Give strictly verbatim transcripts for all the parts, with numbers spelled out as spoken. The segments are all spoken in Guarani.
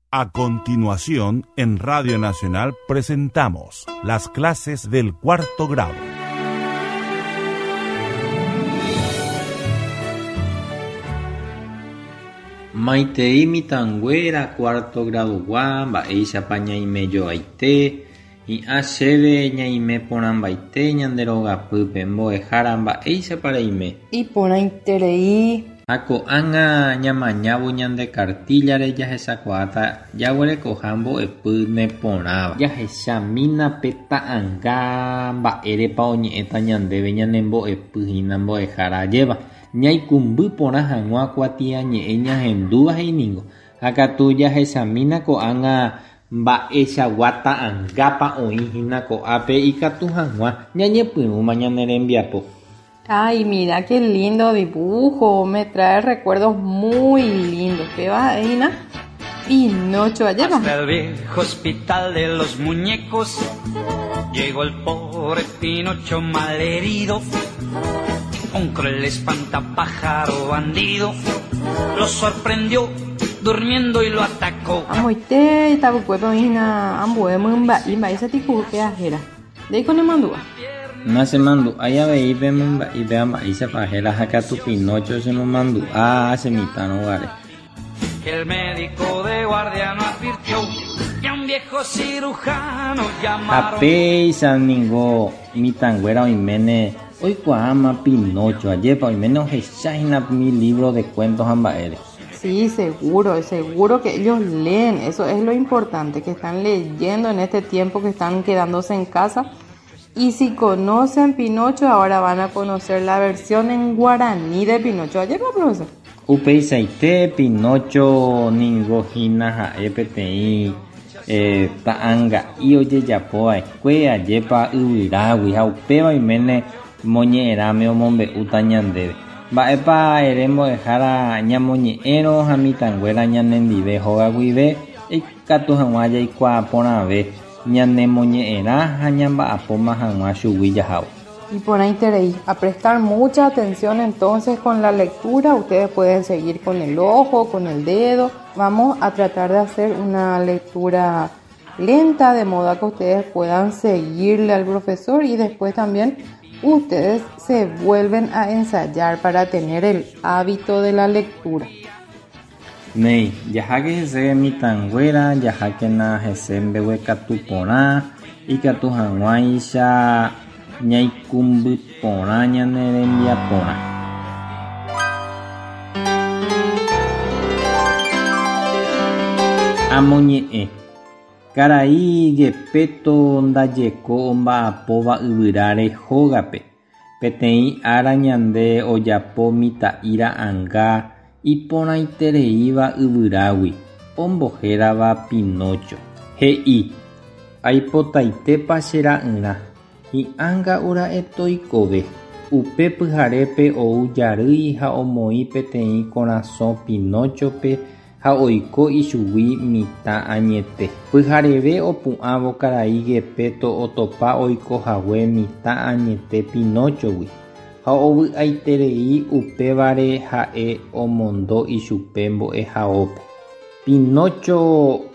A continuación, en Radio Nacional presentamos las clases del cuarto grado. Maitei mitãnguéra cuarto gradugua mba'éichapa ñaimejoaite hi'ã chéve ñaime porãmbaite ñande rogapýpe mbo'ehára mba'éichapa reime. Iporãiterei. Ha ko'ág̃a ñamañávo ñande cartillare jahechakuaáta jaguerekoha mbo'epy neporãva. Jahechamína pe ta'ãnga mba'érepa oñe'ẽta ñandéve ñane mbo'epy hína mbo'ehára ajéva. Ñaikũmby porã hag̃ua kuatiañe'ẽ ñahendúva he'iningo. Ha katu jahechamína ko'ág̃a mba'eichagua ta'ãngápa oĩ hína ko'ápe ikatu hag̃ua ñañepyrũma ñane rembiapo. Ay, mira qué lindo dibujo, me trae recuerdos muy lindos. ¿Qué va, Ina? Pinocho, allá va. Hasta el viejo hospital de los muñecos llegó el pobre Pinocho malherido. Un cruel espantapájaro bandido lo sorprendió durmiendo y lo atacó. Amoite, tabucueto, Ina, ambué, mumba, imba, ese tipo que ajera. De ahí con el mandúa. Nachemandu'ái avei pe mymba'i péva mba'éichapa héra ha katu Pinocho chemomandu'a chemitãrõ guare. El médico de guardia no advirtió y a un viejo cirujano llamaron. Ha péicha ningo mitãnguéra oiméne oikuaáma Pinocho ajépa oiméne ohecháhina mi libro de cuentos ha mba'ére. Sí, seguro, seguro que ellos leen, eso es lo importante, que están leyendo en este tiempo que están quedándose en casa. Y si conocen Pinocho, ahora van a conocer la versión en guaraní de Pinocho. ¿Ayer va, profesor? Upeichaite Pinocho ningo hína ha'e peteĩ eh, ta'ãnga'i ojejapova'ekue ajépa yvyrágui ha upéva oiméne moñe'ẽrãme omombe'úta ñandéve. Mba'épa ere mbo'ehára ñamoñe'ẽrõ ha mitãnguéra ñanendive hóga guive ikatu hag̃ua jaikuaa porãve ñanemoñe'ẽrã ha ñamba'apóma hag̃ua chugui jahávo. Iporãiterei. A prestar mucha atención entonces con la lectura. Ustedes pueden seguir con el ojo, con el dedo. Vamos a tratar de hacer una lectura lenta, de modo que ustedes puedan seguirle al profesor y después también ustedes se vuelven a ensayar para tener el hábito de la lectura. Néi, jaháke hese mitãnguéra, jahákena hese mbeguekatu porã, ikatu hag̃uáicha ñaikũmby porã ñane rembiaporã. Amoñe'ẽ. Karai Gepeto ndajeko omba'apóva yvyráre hógape. Peteĩ ára ñande ojapo mitã'i ra'ãnga iporãitereíva yvyrágui, ombohérava Pinocho. He'i, aipotaitépa che ra'yrã, hi'ãnga ura'e toikove. Upe pyharépe ou jarýi ha omoĩ peteĩ korasõ Pinochope ha oiko ichugui mitã añete. Pyhareve opu'ãvo karai Gepeto otopa oikohague mitã añete Pinochogui ha ovy'aiterei upévare ha'e omondo ichupe mbo'ehaópe. Pinocho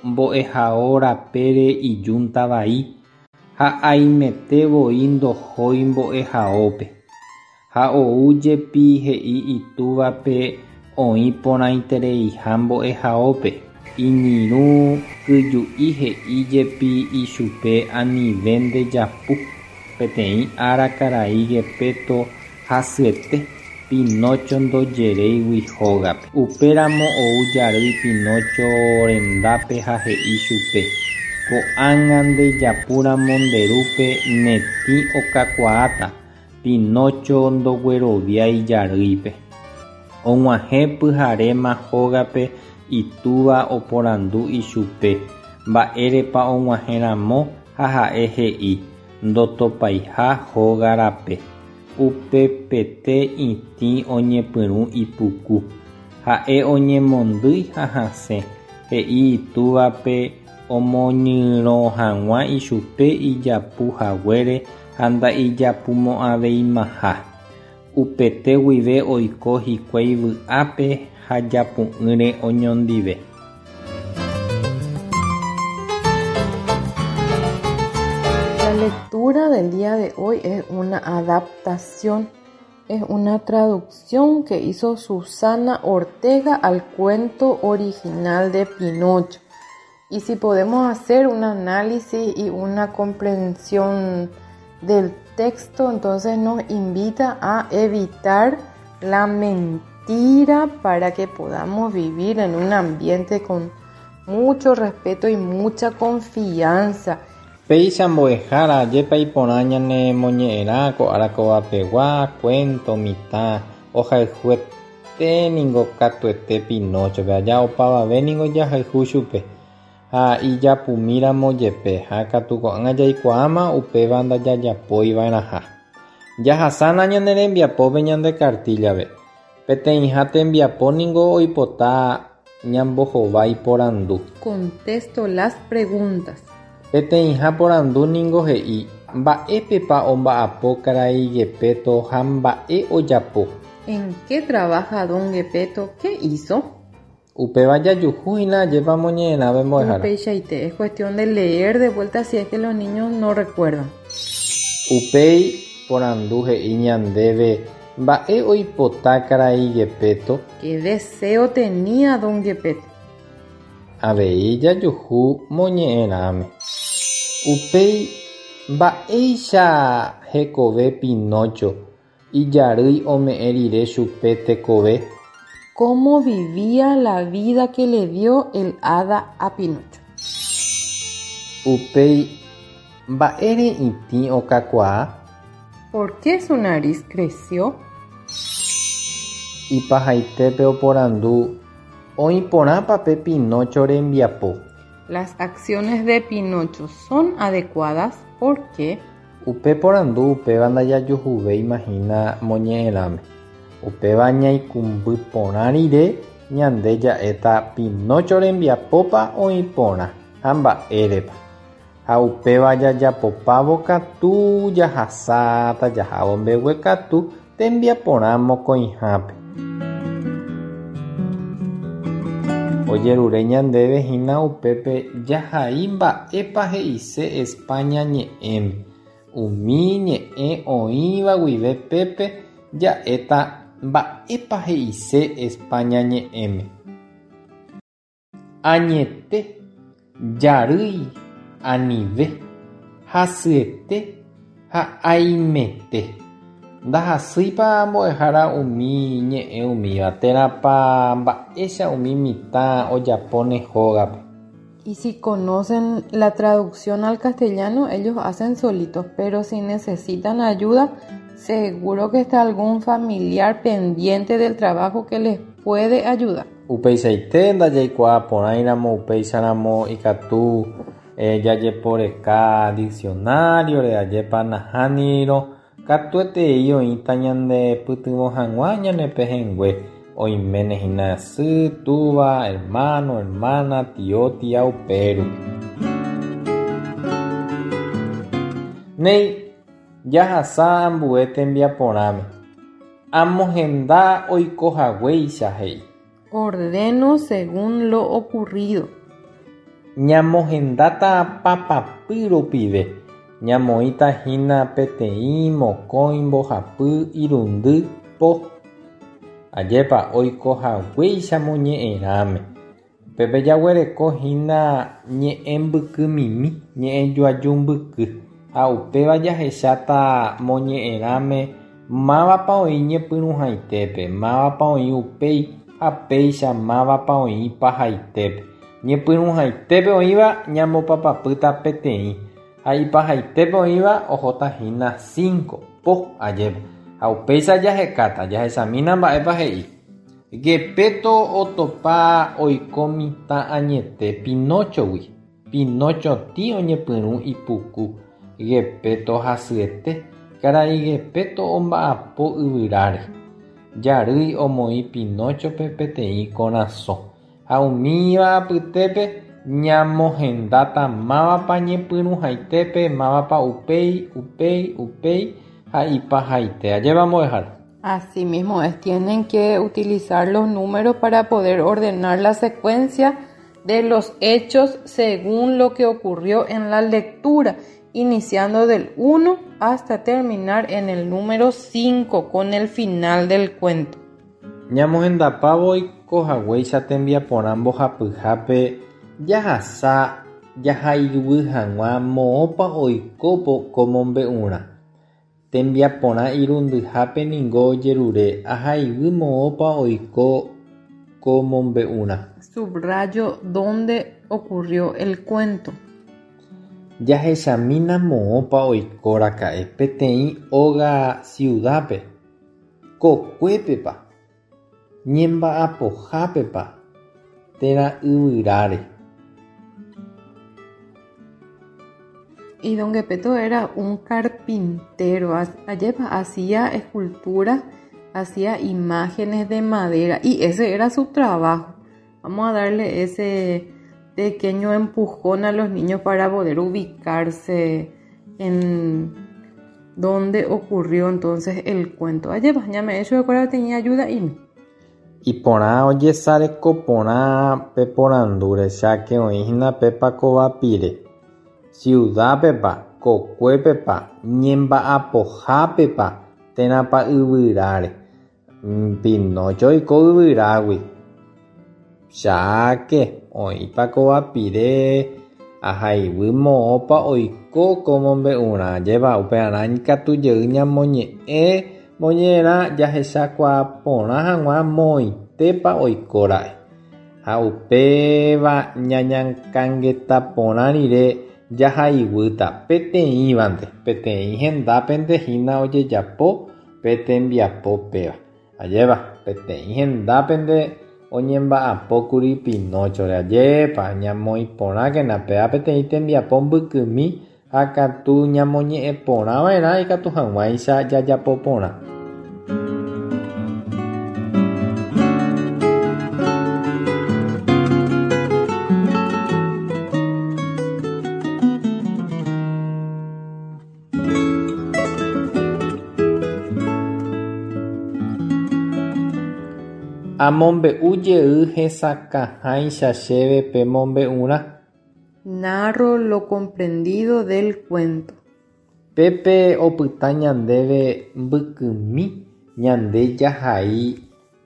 mbo'ehao rapére ijúnta vai ha aimete voi ndohói mbo'ehaópe. Ha ou jepi he'i itúvape oĩ porãitereiha mbo'ehaópe. Iñirũ kyju'i he'i jepi ichupe anive ndejapu. Peteĩ ára karai Gepeto hasyete Pinocho ndojeréigui hógape. Upéramo ou jarýi Pinocho rendápe ha he'i chupe ko'ág̃a ndejapúramo nde rúpe netĩ okakuaáta. Pinocho ndogueroviái jarýipe. Og̃uahẽ pyharéma hógape itúva oporandu ichupe mba'érepa og̃uahẽramo ha ha'e he'i ndotopaiha hóga rape. Upepete itĩ oñepyrũ ipuku. Ha'e oñemondýi ha hasẽ he'i itúvape omoñyrõ hag̃ua ichupe ijapuhaguére ha ndaijapumo'ãveimaha. Upete guive oiko hikuái vy'ápe ha japu'ỹre oñondive. lectura del día de hoy es una adaptación, es una traducción que hizo Susana Ortega al cuento original de Pinocho. Y si podemos hacer un análisis y una comprensión del texto, entonces nos invita a evitar la mentira para que podamos vivir en un ambiente con mucho respeto y mucha confianza. Péicha mbo'ehára ajépa iporã ñanemoñe'ẽrã ko ára kovapegua, cuento, mitã, ohayhuete ningo katuete Pinóchope, aja opavave ningo jahayhu chupe ha ijapumíramo jepe ha katu ko'ág̃a jaikuaáma upéva ndajajapoiva'erãha. Jahasána ñane rembiapópe ñande cartilla-pe. Peteĩha tembiapo ningo oipota ñambohovái porandu. Contesto las preguntas. Peteĩha porandu ningo he'i mba'épepa omba'apo karai Gepetto ha mba'e ojapo. ¿En qué trabaja don Gepetto? ¿Qué hizo? Upéva jajuhu hína ajépa moñe'ẽrãve mbo'ehára. Upeichaite, es cuestión de leer de vuelta si es que los niños no recuerdan. Upéi porandu he'i ñandéve mba'e oipota karai Gepetto. ¿Qué deseo tenía don Gepetto? Avei jajuhu moñe'ẽrãme. Upéi mba'éicha hekove Pinócho ijarýi ome'ẽ rire chupe tekove. ¿Cómo vivía la vida que le dio el hada a Pinocho? Upéi mba'ére itĩ okakuaa. ¿Por qué su nariz creció? Ipahaitépe oporandu oĩporãpa pe Pinócho rembiapo. Las acciones de Pinocho son adecuadas. ¿Por qué? Upe porandu upéva ndajajuhuvéima hína moñe'ẽrãme. Upéva ñaikũmby porã rire ñande ja'éta Pinócho rembiapópa oĩporã ha mba'érepa. Ha upéva jajapopávo katu jahasáta jahávo mbeguekatu tembiaporã mokõihápe. Ojerure ñandéve hína upépe jahai mba'épa he'ise España ñe'ẽme. Umi ñe'ẽ oĩva guive pépe ja'éta mba'épa he'ise España ñe'ẽme. Añete, jarýi, anive, hasyete ha aimete. Ndahasýipa mbo'ehára umi ñe'ẽ umíva térãpa mba'éicha umi mitã ojapóne hógape. Y si conocen la traducción al castellano, ellos hacen solitos, pero si necesitan ayuda, seguro que está algún familiar pendiente del trabajo que les puede ayudar. Upeichaite ndajaikuaa porãiramo upeicharamo ikatu eh, jajeporeka diccionario-re ajépa nahánirõ katuetei oĩta ñande pytyvõ hag̃ua ñane pehẽngue oiméne hína sy, túva, hermano, hermana, tio, tía upérupi. Néi jahasa ambue tembiaporãme. Amohenda oikohaguéicha he'i. Ordeno según lo ocurrido. Ñamohendáta papapy rupive. Ñamoĩta hína peteĩ, mokõi, mbohapy, irundy, po. Ajépa oikohaguéicha moñe'ẽrãme. Upépe jaguereko hína ñe'ẽ mbykymimi, ñe'ẽ joaju mbyky. Ha upéva jahecháta moñe'ẽrãme mávapa oĩ ñepyrũhaitépe, mávapa oĩ upéi ha péicha mávapa oĩ ipahaitépe. Ñepyrũhaitépe oĩva ñambopapapýta peteĩ ha ipahaitépe oĩva ohóta hína cinco, po ajépa. Ha upéicha jahekáta, jahechamína mba'épa he'i. Gepetto otopa oiko mitã añete Pinóchogui. Pinócho tĩ oñepyrũ ipuku. Gepetto hasyete. Karai Gepetto omba'apo yvyráre. Jarýi omoĩ Pinóchope peteĩ korasõ. Ha umíva apytépe ñamohendáta mávapa ñepyrũhaitépe, mávapa upéi, upéi, upéi ha ipahaite. Ajépa mbo'ehára. Así mismo es, tienen que utilizar los números para poder ordenar la secuencia de los hechos según lo que ocurrió en la lectura. iniciando del uno hasta terminar en el número cinco con el final del cuento. Ñamohendapávo oikohaguéicha tembiaporã mbohapyhápe jahasa jahaiguy hag̃ua moõpa oiko ko mombe'urã. Tembiaporã irundyhápe ningo ojerure ahaiguy moõpa oiko ko mombe'urã. Subrayo dónde ocurrió el cuento. Jahechamína moõpa oikoraka'e peteĩ óga ciudadpe, kokuépepa, ñemba'apohápepa térã yvyráre. Y don Gepeto era un carpintero, ajépa hacía escultura, hacía imágenes de madera y ese era su trabajo. Vamos a darle ese pequeño empujón a los niños para poder ubicarse en donde ocurrió entonces el cuento. Ajépa, ya me he hecho de acuerdo, tenía ayuda y... Iporã ojesarekoporã pe porandúre cháke oĩhína pépa kovapire. Ciudadpepa, kokuépepa, ñemba'apohápepa térãpa yvyráre. Pinócho oiko yvyrágui. Cháke oĩpa kovapire ahaiguy moõpa oiko ko mombe'urã. Ajépa upearã ikatu jey ñamoñe'ẽ moñe'ẽrã jahechakuaaporã hag̃ua moõitépa oikóra'e. Ha upéva ñañakãngetaporã rire jahaiguýta peteĩvante, peteĩ hendápente hína ojejapo pe tembiapo péva. Ajépa peteĩ hendápente oñemba'apókuri Pinóchore. Ajépa ñamoĩporãkena péva peteĩ tembiapo mbykymi ha katu ñamoñe'ẽporãva'erã ikatu hag̃uáicha jajapoporã. Amombe'u jey hesakãháicha chéve pe mombe'urã. Narro lo comprendido del cuento. Pépe opyta ñandéve mbykymi ñande jahai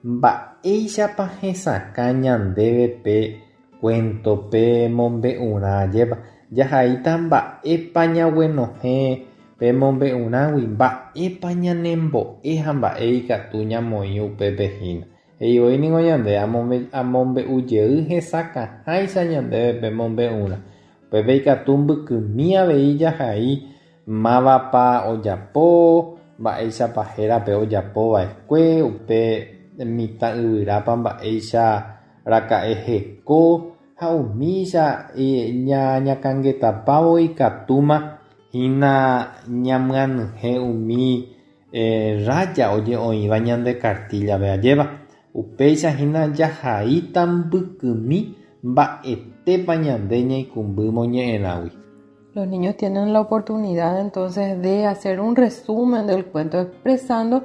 mba'éichapa hesakã ñandéve pe cuento pe mombe'urã. Ajépa jahaíta mba'épa ñaguenohẽ pe mombe'urãgui, mba'épa ñanembo'e ha mba'e ikatu ñamoĩ upépe hína. He'ivoi ningo ñande amombe'u jey hesakãháicha ñandéve pe mombe'urã. Upépe ikatu mbykymi avei jahai mávapa ojapo, mba'éichapa hérape ojapova'ekue, upe mitã yvyrápa mba'éicha raka'e heko ha umícha ñañakãngetapávo ikatúma hína ñamyanyhẽ umi raya oje'oĩva ñande cartillape. Ajépa upéicha hína jahaíta mbykymi mba'etépa ñande ñaikũmby moñe'ẽrãgui. Los niños tienen la oportunidad entonces de hacer un resumen del cuento expresando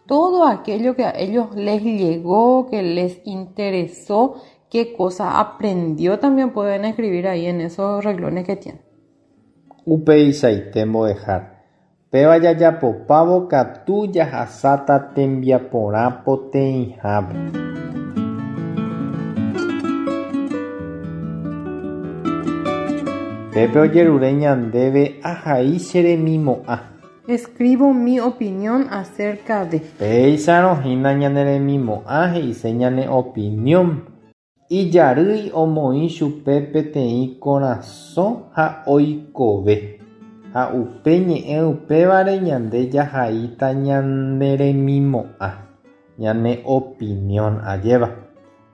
todo aquello que a ellos les llegó, que les interesó, qué cosa aprendió, también pueden escribir ahí en esos renglones que tienen. Upeichaite mbo'ehára. Péva jajapopávo katu jahasáta tembiaporã poteĩhápe. Pépe ojerure ñandéve ahai che remimo'ã. Escribo mi opinión acerca de. Péicharõ hína ñane remimo'ã he'ise ñane opinión. Ijarýi omoĩ chupe peteĩ korasõ ha oikove. Ha upe ñe'ẽ upévare ñande jahaíta ñane remimo'ã, ñane opinión. Ajépa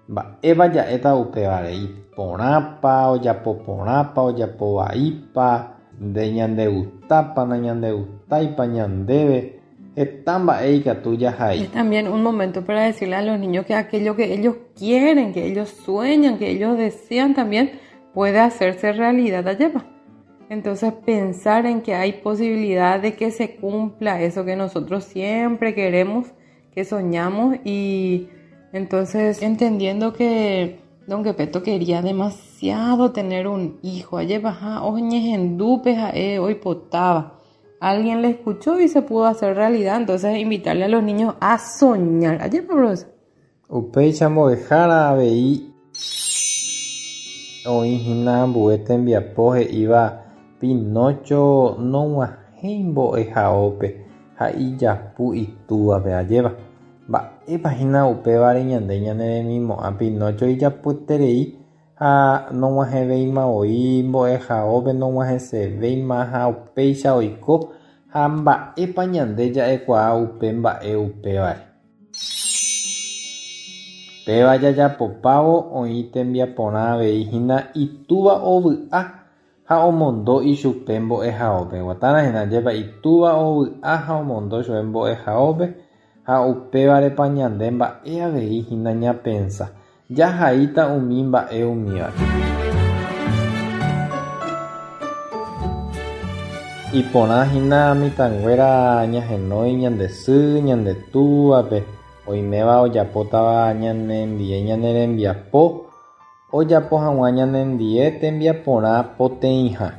mba'épa ja'éta upévare, iporãpa, ojapoporãpa, ojapovaípa, nde ñandegustápa, nañandegustáipa ñandéve, heta mba'e ikatu jahai. Es también un momento para decirle a los niños que aquello que ellos quieren, que ellos sueñan, que ellos desean también puede hacerse realidad. Ajépa. Entonces pensar en que hay posibilidad de que se cumpla eso que nosotros siempre queremos, que soñamos, y entonces entendiendo que Don Gepetto quería demasiado tener un hijo. Ajépa ha oñehendu pe ha'e oipotáva. Alguien le escuchó y se pudo hacer realidad. Entonces, invitarle a los niños a soñar. Ajépa, profesor. Upéicha mbo'ehára avei oĩhína ambue tembiapo he'íva Pinocho nog̃uahẽi mbo'ehaópe ha ijapu itúvape ajépa. Mba'épa hína upévare ñande ñaneremimo'ã Pinocho ijapueterei ha nog̃uahẽvéimavoi mbo'ehaópe nog̃uahẽsevéima ha upéicha oiko ha mba'épa ñande ja'ekuaa upe mba'e upévare. Péva jajapopávo oĩ tembiaporã avei hína itúva ovy'a ha omondo ichupe mbo'ehaópe. Guatarã ajépa itúva ovy'a ha omondo chupe mbo'ehaópe ha upévarepa ñande mba'e avei hína ñapensa. Jahaíta umi mba'e umívare. Iporã hína mitãnguéra ñahenói ñande sy, ñande túvape, oiméva ojapótava ñanendie ñane rembiapo, ojapo hag̃ua ñanendie tembiaporã poteĩha.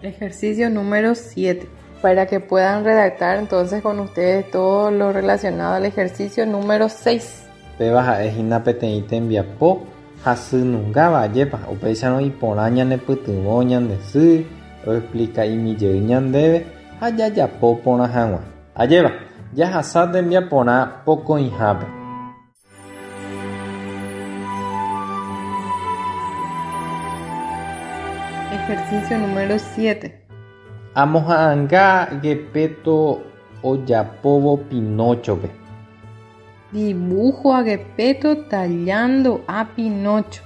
Ejercicio número siete. Para que puedan redactar entonces con ustedes todo lo relacionado al ejercicio número seis. Péva ha'e hína peteĩ tembiapo hasynungáva ajépa upéicharõ iporã ñanepytyvõ ñande sy oexplica'imijey ñandéve ha jajapo porã hag̃ua. Ajépa jahasa tembiaporã pokõihápe. Ejercicio número siete. Amoha'ãnga Gepetto ojapóvo Pinóchope. Dibujo a Gepetto tallando a Pinocho.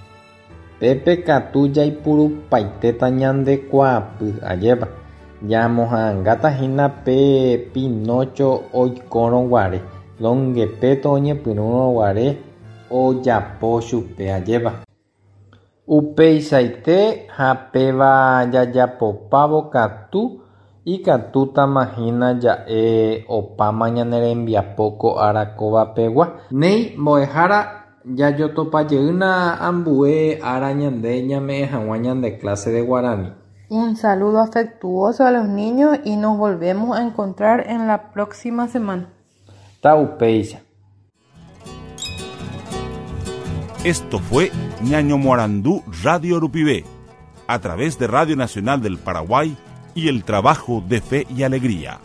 Pépe katu jaipurupaitéta ñande kuaapy ajépa. Ñamoha'ãngáta hína pe Pinocho oikórõguare Don Gepetto oñepyrũrõguare ojapo chupe ajépa. Upeichaite ha péva jajapopávo katu ikatútama hína ja'e opáma ñane rembiapo ko ára kóvapegua. Néi mbo'ehára jajotopajeýna ambue ára ñande ñame'ẽ hag̃ua ñande clase de guarani. Un saludo afectuoso a los niños y nos volvemos a encontrar en la próxima semana. Taupéicha. Esto fue Ñañomoarandú Radio Rupivé, a través de Radio Nacional del Paraguay y el trabajo de Fe y Alegría.